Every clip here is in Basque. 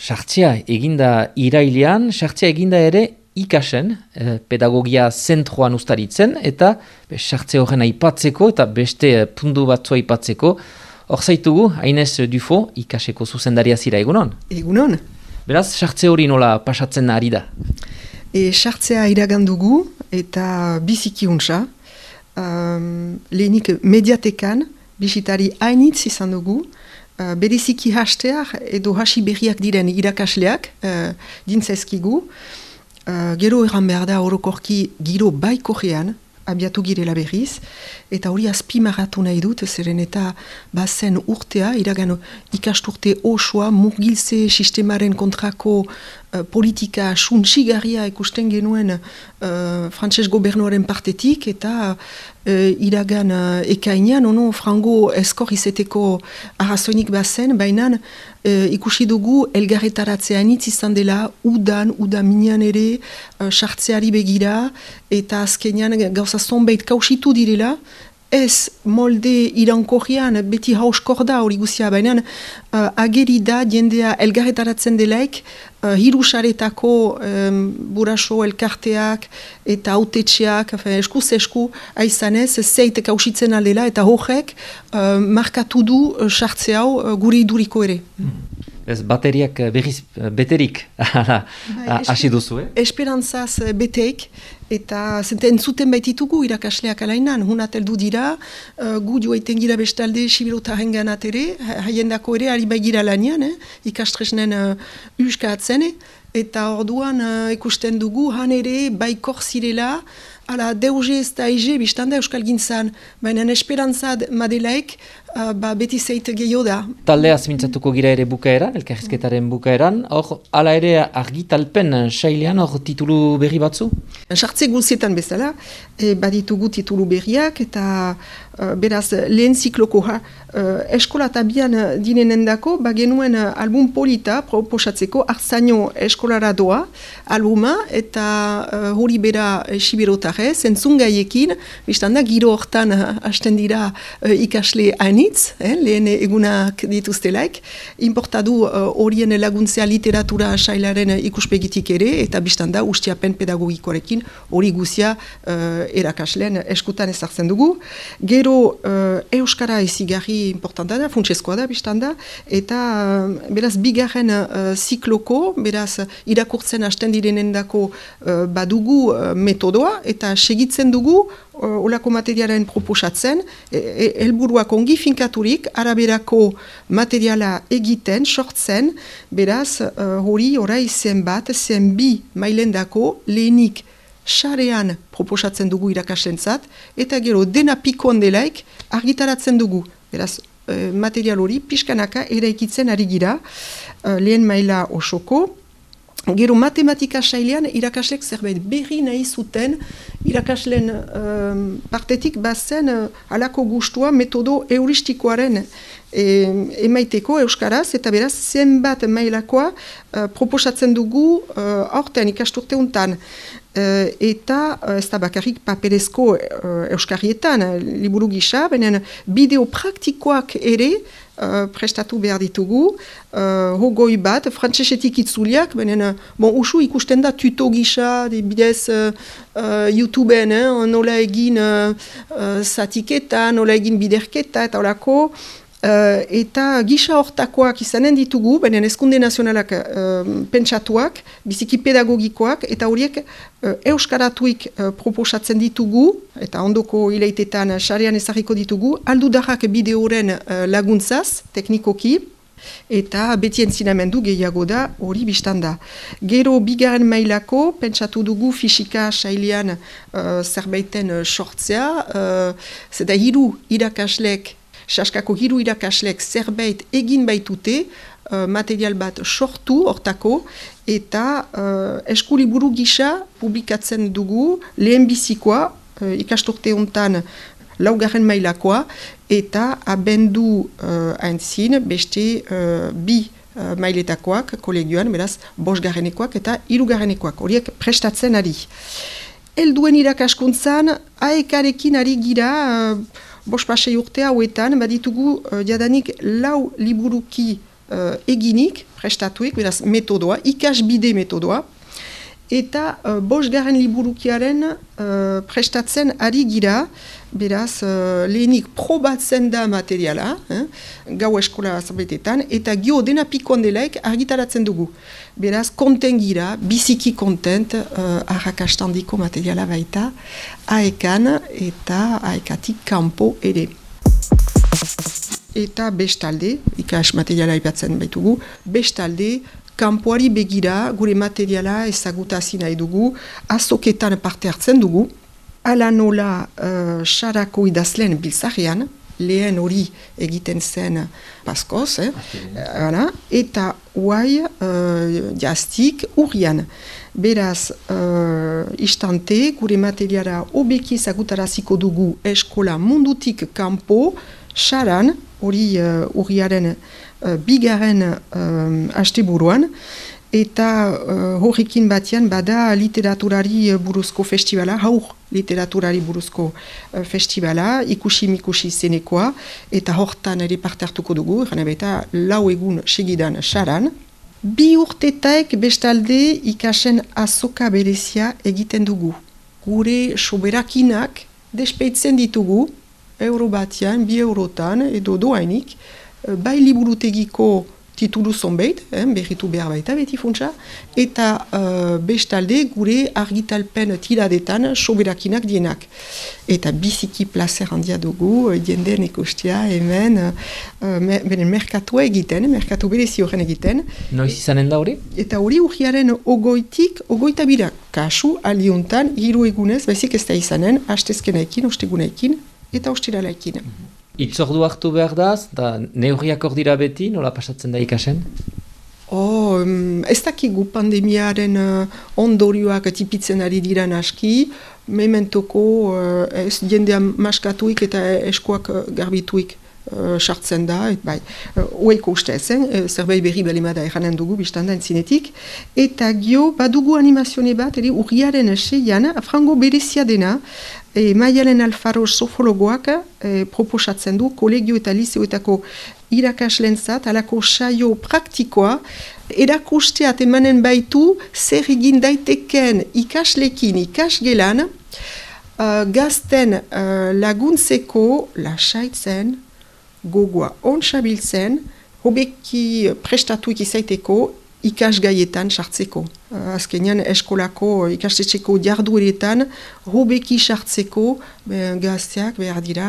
sartzea eginda irailean, sartzea eginda ere ikasen, pedagogia zentroan ustaritzen, eta sartze horren aipatzeko eta beste puntu batzu aipatzeko. Hor zaitugu, Hainez Dufo, ikaseko zuzendaria zira, egunon? Egunon. Beraz, sartze hori nola pasatzen ari da? Sartzea iragandugu eta biziki untsa. Lehenik mediatekan, bisitari hainitz izan dugu, bereziki hasteak edo hasi berriak diren irakasleak dintzaizkigu. Gero erran behar da orokorki giro baikojean, abiatu girela berriz, eta hori azpimarratu nahi dut, zeren eta bazen urtea, iragan ikasturte osoa, murgiltze sistemaren kontrako politika suntsigarria ikusten genuen frantses gobernuaren partetik, eta iragan ekainean, frango eskor izeteko arrazoinik bazen, baina ikusi dugu elgarretaratzea anitz izan dela, uda minean ere, sartzeari begira, eta azkenean gauza zonbait kausitu direla, ez molde irankorrian beti hauskor da hori guzia, baina ageri da jendea elgarretaratzen delaik, hirusaretako buraso elkarteak eta autetxeak, eskuz esku aizanez, zeit kausitzen aldela eta horrek markatu du sartze hau gure iduriko ere. Ez bateriak berriz beterik hasi duzu, Esperantzaz beteik, eta entzuten baititugu irakasleak alainan, hunat heldu dira, gu joaiten gira bestalde Sibirotaren ganat ere, haiendako ere ari baigira lanian, ikastresnen uskatzen, eta orduan ikusten dugu, han ere baikor zirela, ala deuze ez da ege biztanda euskal gintzan, baina esperantzad madelaik beti zeit gehiago da. Taldea mintzatuko gira ere bukaeran, elkarrizketaren bukaeran, hor ala ere argitalpen sailean hor titulu berri batzu? Sartze guzietan bezala, baditugu titulu berriak, eta beraz lehen ziklokoa eskola tabian dinenendako, genuen album polita proposatzeko Artzaino eskolara doa albuma, eta hori bera Sibirotarez, entzungaiekin, biztanda giro hortan hasten dira ikasle hainitz, lehen egunak dituztelaik, importadu horien laguntzea literatura sailaren ikuspegitik ere, eta biztanda ustiapen pedagogikoarekin hori guzia erakasleen eskutan ezartzen dugu. Gero euskara ezigarri importanta da, funtsezkoa da biztanda, eta beraz bigarren zikloko, beraz irakurtzen hasten direnendako badugu metodoa, eta segitzen dugu olako materialen proposatzen, helburuak ongi finkaturik, araberako materiala egiten, sortzen, beraz hori orai zenbat, zenbi mailendako lehenik sarean proposatzen dugu irakaslentzat, eta gero dena pikoan delaik argitaratzen dugu. Beraz, material hori pixkanaka eraikitzen ari gira, lehen maila osoko. Gero matematika sailean irakaslek zerbait berri nahi zuten, irakasleen partetik bazen halako gustua metodo euristikoaren emaiteko euskaraz, eta beraz zenbat mailakoa proposatzen dugu aurten ikasturte untan. Eta ez da bakarrik paperezko euskarrietan, liburu gisa, baina bideo praktikoak ere prestatu behar ditugu, hogoi bat, frantsesetik itzuliak, baina usu ikusten da tuto gisa, bidez YouTubeen, nola egin zatiketa, nola egin biderketa, eta horako, eta gisa hortakoak izanen ditugu, baina Hezkunde Nazionalak pentsatuak, biziki pedagogikoak, eta horiek euskaratuik proposatzen ditugu, eta ondoko hilaitetan sarean ezarriko ditugu, aldudarrak bideoren laguntzaz, teknikoki, eta beti entzinamendu gehiago da hori biztanda. Gero bigarren mailako, pentsatu dugu fisika sailean zerbaiten sortzea, zeda hiru irakaslek, saskako hiru irakaslek zerbait egin baitute, material bat sortu hortako, eta eskuliburu gisa publikatzen dugu lehenbizikoa, ikasturte hontan laugarren mailakoa, eta abendu aintzin beste bi mailetakoak kolegioan, beraz, bosgarrenekoak eta hirugarrenekoak, horiek prestatzen ari. Helduen irakaskuntzan, aekarekin ari gira, bost pasei urte hauetan, baditugu jadanik 4 liburuki eginik, prestatuik, beraz metodoa, ikasbide metodoa, eta bosgarren liburukiaren prestatzen ari gira, beraz lehenik probatzen da materiala, gau eskola zabetetan, eta gio dena pikoan delaik argitaratzen dugu. Beraz, konten gira, biziki kontent arrakastandiko materiala baita, aekan eta aekatik kanpo ere. Eta bestalde, ikas materiala ipatzen baitugu, bestalde, kanpoari begira, gure materiala ezagutazi nahi dugu, azoketan parte hartzen dugu, ala nola sarako idazleen biltzarian, lehen hori egiten zen paskoz, eta huai jaztik urrian. Beraz, istante, gure materiala hobeki ezagutaraziko dugu eskola mundutik kanpo, saran, hori urriaren bigarren asteburuan, eta horrekin batean bada literaturari buruzko festivala, haur literaturari buruzko festivala, ikusi-mikusi zenekoa, eta hortan ere parte hartuko dugu, eta 4 egun segidan saran. 2 urtetaek bestalde ikasen azoka berezia egiten dugu. Gure soberakinak despeitzen ditugu, euro batean, 2 eurotan, edo doainik, bai liburutegiko titulu zonbait, berritu behar baita beti funtsa, eta bestalde gure argitalpen tiradetan soberakinak dienak. Eta biziki placer handia dugu, jenden ikustia hemen, merkatua egiten, merkatu berezi horren egiten. Noiz izanen da hori? Eta hori urriaren 22 kasu aliuntan, 3 egunez, baizik ez da izanen, hastezkenaekin, ostegunaekin, eta ostiralaekin. Itzordu hartu behar da neurriak hor dira beti, nola pasatzen da ikasen? Ez dakigu pandemiaren ondorioak tipitzen ari dira aski, mementoko ez jendea maskatuik eta eskoak garbituik sartzen da, bai, oeiko uste ezen, zerbait berri balimada eranen dugu biztanda entzinetik, eta gio badugu animazione bat, urriaren 6an, frango berezia dena, Maialen Alfaro sofologoak proposatzen du kolegio eta liseoetako irakaslentzat alako saio praktikoa erakusteat emanen baitu zer egin daiteken ikaslekin ikasgelan gazten laguntzeko lasaitzen, gogoa ontsabiltzen, hobeki prestatuik izaiteko ikasgaietan sartzeko. Azkenean eskolako ikastetxeko jardueretan hobeki sartzeko gazteak behar dira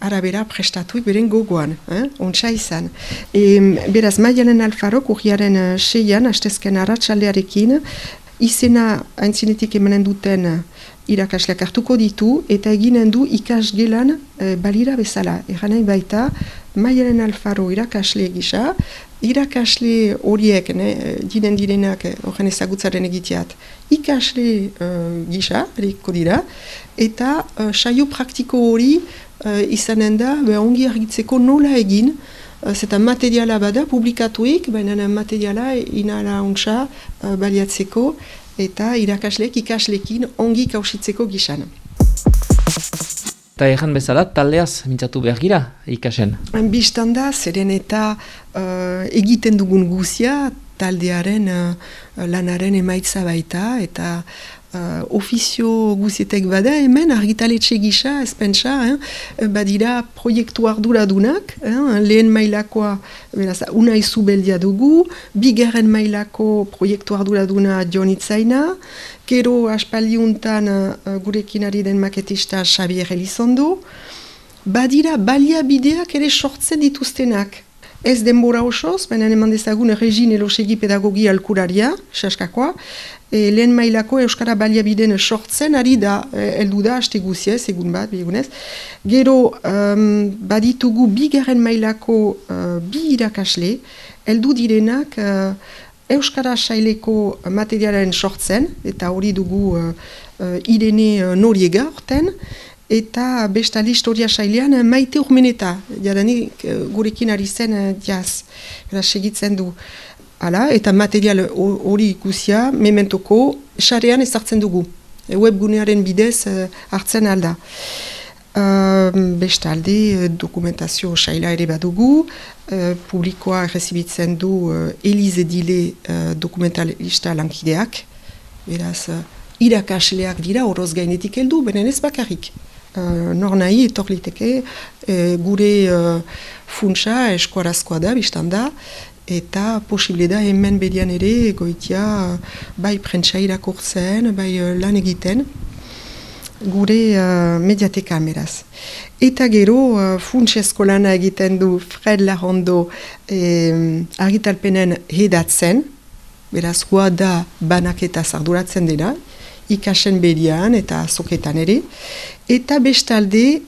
arabera prestatuik beren gogoan, ontsa izan. Beraz, Maialen Alfarok urriaren 6an, hastezken arratsaldearekin, izena aintzinetik emanen duten irakasleak hartuko ditu eta eginen du ikasgelan balira bezala. Eranai baita, Maialen Alfaro irakasle gisa, irakasle horiek, direnak horren ezagutzaren egiteat, ikasle gisa, eriko dira, eta saio praktiko hori izanen da, ongi argitzeko nola egin, zeta materiala bada publikatuik, baina materiala inala ontsa baliatzeko, eta irakasleek ikaslekin ongi kausitzeko gisan. Eta egan bezala, taldeaz mintzatu behar gira ikasen? Bistanda, zeren eta egiten dugun guzia, taldearen lanaren emaitza baita, eta ofizio guzietek bada, hemen argitaletxe gisa, ezpentsa, badira proiektu arduradunak, lehen mailakoa, beraz, Unai Zubeldia dugu, bigarren mailako proiektu arduraduna Jon Itzaina, gero aspaldiuntan gurekin ari den maketista Xavier Elizondo, badira baliabideak ere sortzen dituztenak. Ez denbora osoz, baina eman dezagun Regine Elosegi pedagogia alkuraria, saskakoa, lehen mailako Euskara baliabideen sortzen, ari da, heldu da, haste guziez, egun bat, bigunez. Gero, baditugu bigarren mailako bi irakasle, heldu direnak Euskara saileko materialen sortzen, eta hori dugu Irene Noriega horten, eta bestali historia sailean Maite Urmeneta, jadanik gurekin ari zen jaz, segitzen du. Hala, eta material hori ikusia, mementoko, sarean ezartzen dugu. Webgunearen bidez hartzen alda. Bestalde, dokumentazio saila ere badugu, publikoa errezibitzen du Elize Dile dokumentalista lankideak, beraz, irakasleak dira horoz gainetik heldu, benen ez bakarrik. Nor nahi etor liteke gure funtsa eskuarazkoa da, biztan da, eta posible da hemen bedian ere goitia bai prentsa irakurtzen, bai lan egiten, gure mediatekan beraz. Eta gero funtsezko lana egiten du Fred Larrondo argitalpenen hedatzen, beraz goa da banaketa arduratzen dena, ikasen bedian eta azoketan ere, eta bestalde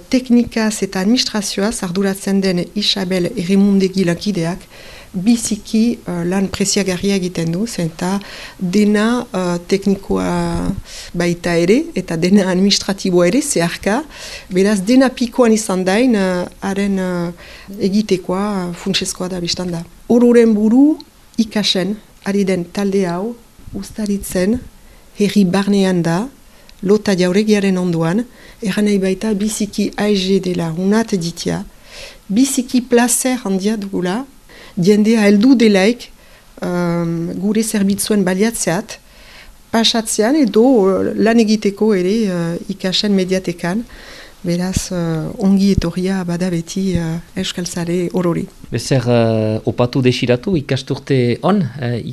teknikaz eta administrazioaz arduratzen den Isabel Errimundegi lankideak biziki lan preziagarria egiten du, eta dena teknikoa baita ere, eta dena administratiboa ere, zeharka, beraz dena pikoan izan dain, haren egitekoa funtsezkoa da biztan da. Ororen buru ikasen, ari den talde hau, ustaritzen, herri barnean da, lota jauregiaren ondoan, erran nahi baita biziki aize dela unat ditia, biziki placer handia dugula, jendea heldu delaik gure zerbitzuen baliatzeat, pasatzean edo lan egiteko ere ikasen mediatekan, beraz ongi etorria bada beti euskaltzale orori. Bezer opatu desiratu ikasturte on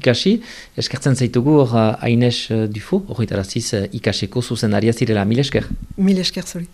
ikasi, eskertzen zaitugu hor Aines Dufo, horretaraziz ikaseko zuzendaria zirela, mil esker. Mil esker zuri.